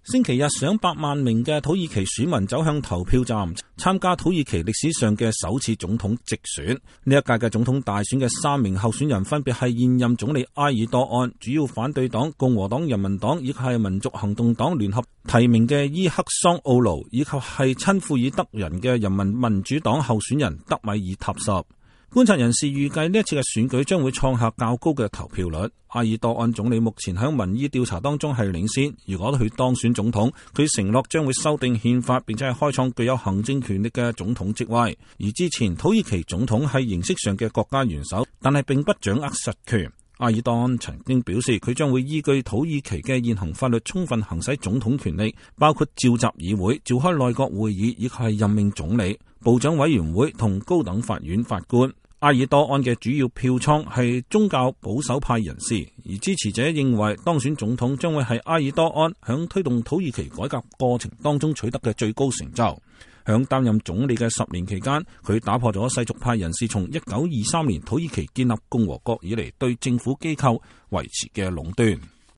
星期日，上百萬名嘅土耳其選民走向投票站，參加土耳其歷史上嘅首次總統直選。呢一屆嘅總統大選嘅3名候選人分別係現任總理埃爾多安、主要反對黨共和黨人民黨以及係民族行動黨聯合提名嘅伊克桑奧盧，以及係親庫爾德人嘅人民民主黨候選人德米爾塔什。觀察人士預計呢一次嘅選舉將會創下較高嘅投票率。埃爾多安總理目前喺民意調查當中係領先，如果佢當選總統，佢承諾將會修訂憲法，並且係開創具有行政權力嘅總統職位。而之前土耳其總統係形式上嘅國家元首，但係並不掌握實權。埃爾多安曾經表示，佢將會依據土耳其嘅現行法律，充分行使總統權力，包括召集議會、召開內閣會議，以及係任命總理、部長委員會同高等法院法官。埃爾多安嘅主要票倉係宗教保守派人士，而支持者認為當選總統將會係埃爾多安響推動土耳其改革過程當中取得嘅最高成就。響擔任總理嘅10年期間，佢打破咗世俗派人士從1923年土耳其建立共和國以嚟對政府機構維持嘅壟斷。